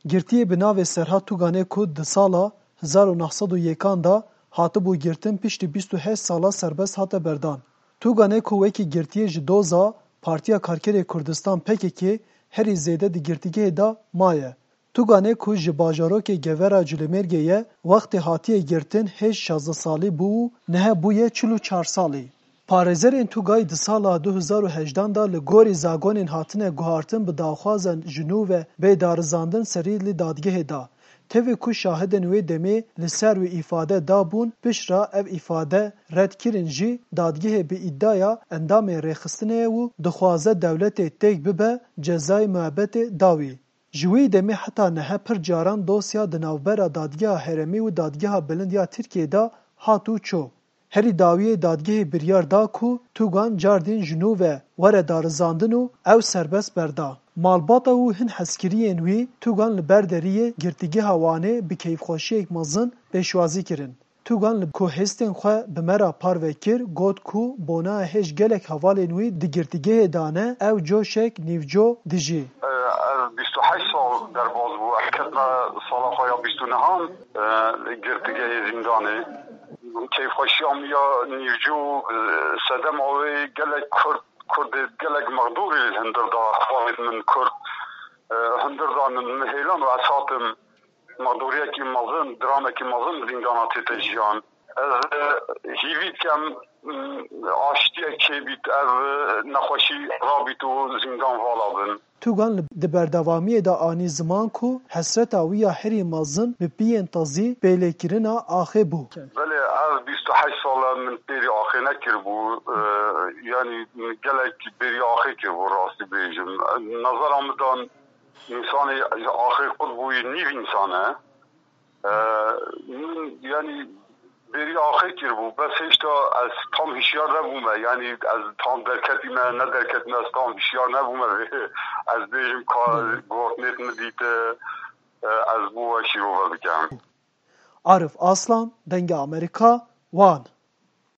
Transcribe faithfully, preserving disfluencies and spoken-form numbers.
Girtiyê bi navê Serhat Tuganê ku di sala hezar û neh sed û yekan de hatibû girtin, piştî bîst û heşt sala serbest hate berdan. Tuganê ku wekî girtiyê ji doza Partiya Karkerê Kurdistan P K K herî zêde di girtîgehê de maye. Tuganê ku ji bajarokê Gevera Culêmêrgê ye, wextê hatiye girtin hêj şazdeh salî bû û nihe bûye çil û çar salî. Parêzerên Tugay di sala du hezar û hejdan de li gorî zagonên hatine guhartin bi daxwaza ji nû ve bê darizandin serî li dadgehê da. Tevî ku şahidên wê demê li ser wî îfade dabûn, piştre ev îfade red kirin jî, dadgehê bi îdiaya endamên rêxistinê ye û dixwaze dewletê têk bibe cezayê muebetê da wî. Ji wî demê heta niha pir caran dosya di navbera Dadgeha Herêmî û Dadgeha Bilind ya Tirkiyê de hat û çû. Herî dawiyê dadgehê biryar da ku Tugan cardîn ji nû ve were darizandin û ew serbest berda. Malbata û hin hezkiriyên wî Tugan li ber deriyê Girtîgeha Wanê bi keyfxweşiyek mezin pêşwazî kirin. Tugan li ku hêstên xwe bi me re parve kir, got ku bona hêj gelek hevalên wî di girtîgehê de ne, ew coşek nîvco dijî. Ez bîst û heşt sal derbas bû. Ez ketime sala xwe ya bîst û nehan, e, girtîgehê zîndanê. Keyfxweşiya min ya nîvco, e, sedema wê gelek Kurd, Kurdê gelek mexdûrî li hundir da, hevalên min Kurd, e, hundir da min, min hêlan û ez hatim. Mexdûriyekî mezin, dramekî mezin zîndana tête jiyan. Ez, e, hîvî dikem, m, aştiyek çêbît, ev, e, nexweşî rabît û zîndan vala bin. Tugan li, di berdewamiyê de anî ziman ku hesreta wî ya herî mezin bi piyên tezî pêlêkirina axê bû. Belê, ev bîst û heşt sal e min pêrî axê nekiribû, e, yanî min gelek bêrî axê kiribû, rastî bêjim. Nazara min dan Însanê axê qut bûyî nîv însan e. Ee, min, yanî, bêrî axê kiribû. Bes hêşta ez tam hişyar nebûme. Yanî ez tam derketîme, ne derketîme, ez tam hişyar nebûme. Ez bêjim ka gotinêt min dîte, e, ez bo we şîrove bikem. Arif Aslan, Dengê Amerîka, Wan.